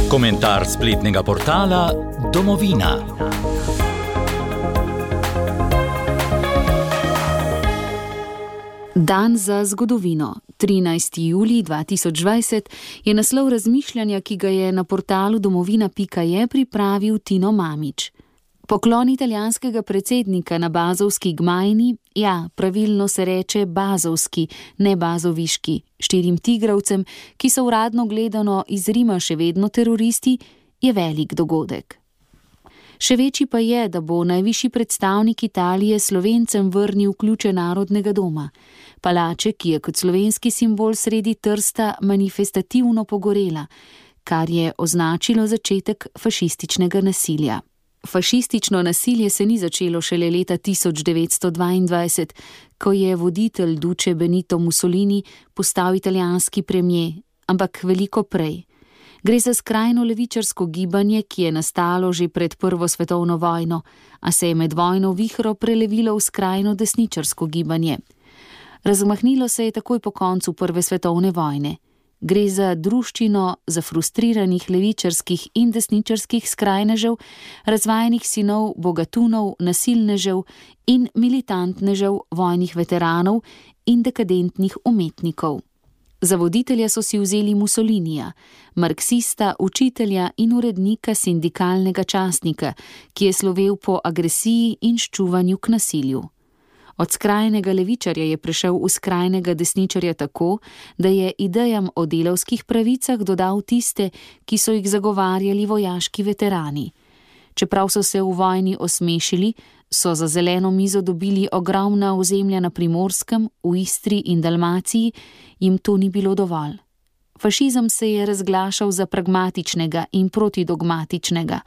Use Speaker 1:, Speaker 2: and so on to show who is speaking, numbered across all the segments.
Speaker 1: Komentar spletnega portala Domovina.
Speaker 2: Dan za zgodovino. 13. julij 2020 je naslov razmišljanja, ki ga je na portalu domovina.je pripravil Tino Mamić. Poklon italijanskega predsednika na bazovski Gmajni, ja, pravilno se reče bazovski, ne bazoviški, 4 tigravcem, ki so uradno gledano iz Rima še vedno teroristi, je velik dogodek. Še večji pa je, da bo najvišji predstavnik Italije Slovencem vrnil ključe Narodnega doma. Palače, ki je kot slovenski simbol sredi Trsta manifestativno pogorela, kar je označilo začetek fašističnega nasilja. Fašistično nasilje se ni začelo šele leta 1922, ko je voditelj Duce Benito Mussolini postal italijanski premier, ampak veliko prej. Gre za skrajno levičarsko gibanje, ki je nastalo že pred Prvo svetovno vojno, a se je med vojno vihro prelevilo v skrajno desničarsko gibanje. Razmahnilo se je takoj po koncu Prve svetovne vojne. Gre za druščino zafrustriranih levičarskih in desničarskih skrajnežev, razvajenih sinov bogatunov, nasilnežev in militantnežev, vojnih veteranov in dekadentnih umetnikov. Za voditelja so si vzeli Mussolinija, marksista, učitelja in urednika sindikalnega časnika, ki je slovel po agresiji in ščuvanju k nasilju. Od skrajnega levičarja je prešel v skrajnega desničarja tako, da je idejam o delavskih pravicah dodal tiste, ki so jih zagovarjali vojaški veterani. Čeprav so se v vojni osmešili, so za zeleno mizo dobili ogromna ozemlja na Primorskem, v Istri in Dalmaciji, jim to ni bilo dovolj. Fašizem se je razglašal za pragmatičnega in protidogmatičnega,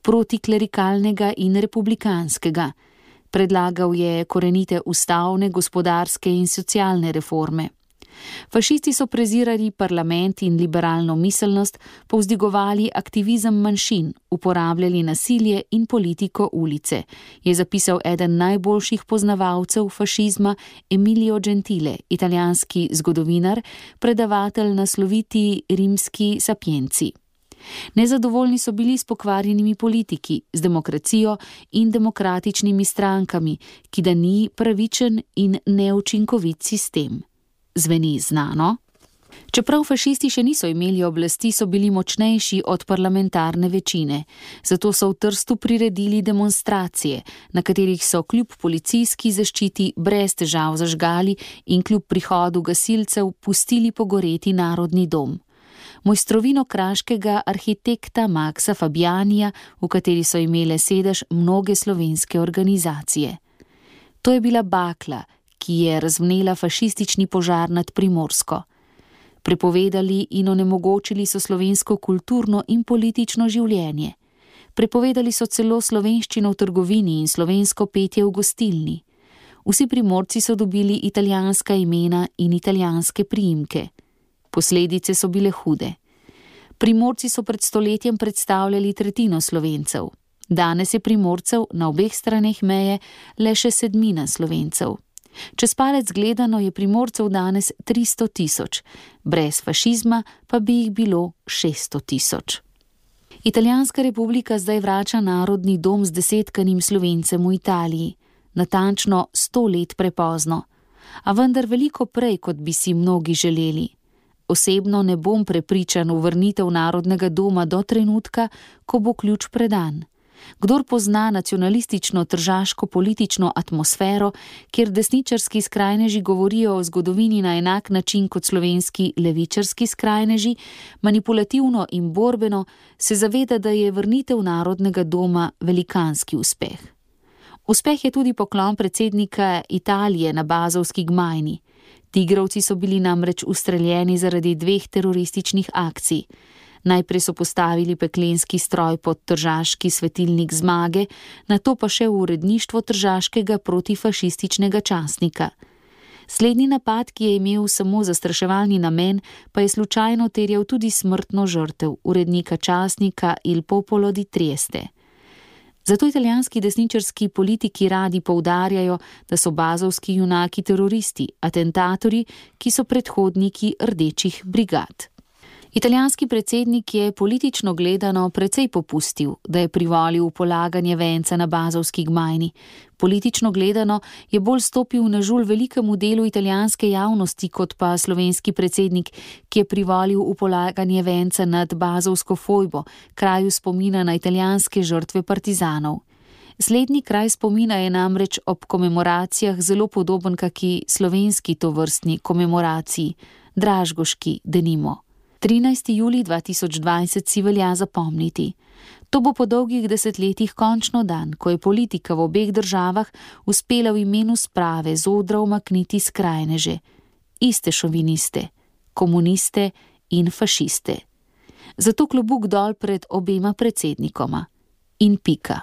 Speaker 2: protiklerikalnega in republikanskega. Predlagal je korenite ustavne, gospodarske in socialne reforme. Fašisti so prezirali parlament in liberalno miselnost, povzdigovali aktivizem manjšin, uporabljali nasilje in politiko ulice, je zapisal eden najboljših poznavalcev fašizma Emilio Gentile, italijanski zgodovinar, predavatelj na sloviti rimski Sapienci. Nezadovoljni so bili s pokvarjenimi politiki, z demokracijo in demokratičnimi strankami, ki da ni pravičen in neučinkovit sistem. Zveni znano? Čeprav fašisti še niso imeli oblasti, so bili močnejši od parlamentarne večine. Zato so v Trstu priredili demonstracije, na katerih so kljub policijski zaščiti brez težav zažgali in kljub prihodu gasilcev pustili pogoreti Narodni dom. Mojstrovino kraškega arhitekta Maxa Fabianija, v kateri so imele sedež mnoge slovenske organizacije. To je bila bakla, ki je razvnela fašistični požar nad Primorsko. Prepovedali in onemogočili so slovensko kulturno in politično življenje. Prepovedali so celo slovenščino v trgovini in slovensko petje v gostilni. Vsi Primorci so dobili italijanska imena in italijanske priimke. Posledice so bile hude. Primorci so pred stoletjem predstavljali tretjino Slovencev. Danes je Primorcev na obeh straneh meje le še 1/7 Slovencev. Čez palec gledano je Primorcev danes 300 000, brez fašizma pa bi jih bilo 600 000. Italijanska republika zdaj vrača Narodni dom z desetkanim Slovencem v Italiji, natančno 100 let prepozno, a vendar veliko prej, kot bi si mnogi želeli. Osebno ne bom prepričan v vrnitev Narodnega doma do trenutka, ko bo ključ predan. Kdor pozna nacionalistično tržaško politično atmosfero, kjer desničarski skrajneži govorijo o zgodovini na enak način kot slovenski levičarski skrajneži, manipulativno in borbeno, se zaveda, da je vrnitev Narodnega doma velikanski uspeh. Uspeh je tudi poklon predsednika Italije na bazovski Gmajni. Tigrovci so bili namreč ustreljeni zaradi 2 terorističnih akcij. Najprej so postavili peklenski stroj pod tržaški svetilnik Zmage, nato pa še v uredništvo tržaškega protifašističnega časnika. Slednji napad, ki je imel samo zastraševalni namen, pa je slučajno terjal tudi smrtno žrtev urednika časnika Il Popolo di Trieste. Zato italijanski desničarski politiki radi poudarjajo, da so bazovski junaki teroristi, atentatorji, ki so predhodniki rdečih brigad. Italijanski predsednik je politično gledano precej popustil, da je privolil v polaganje venca na Basovski gmajni. Politično gledano je bolj stopil na žulj velikemu delu italijanske javnosti kot pa slovenski predsednik, ki je privolil v polaganje venca nad Basovsko fojbo, kraju spomina na italijanske žrtve partizanov. Slednji kraj spomina je namreč ob komemoracijah zelo podoben kaki slovenski tovrstni komemoraciji, dražgoški denimo. 13. julij 2020 si velja zapomniti. To bo po dolgih desetletjih končno dan, ko je politika v obeh državah uspela v imenu sprave z odra umakniti skrajneže, iste šoviniste, komuniste in fašiste. Zato klobuk dol pred obema predsednikoma. In pika.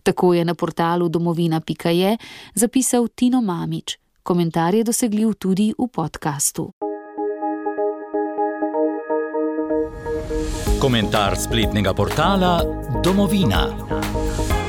Speaker 2: Tako je na portalu domovina.je zapisal Tino Mamić. Komentar je dosegljiv tudi v podkastu.
Speaker 1: Komentar spletnega portala Domovina.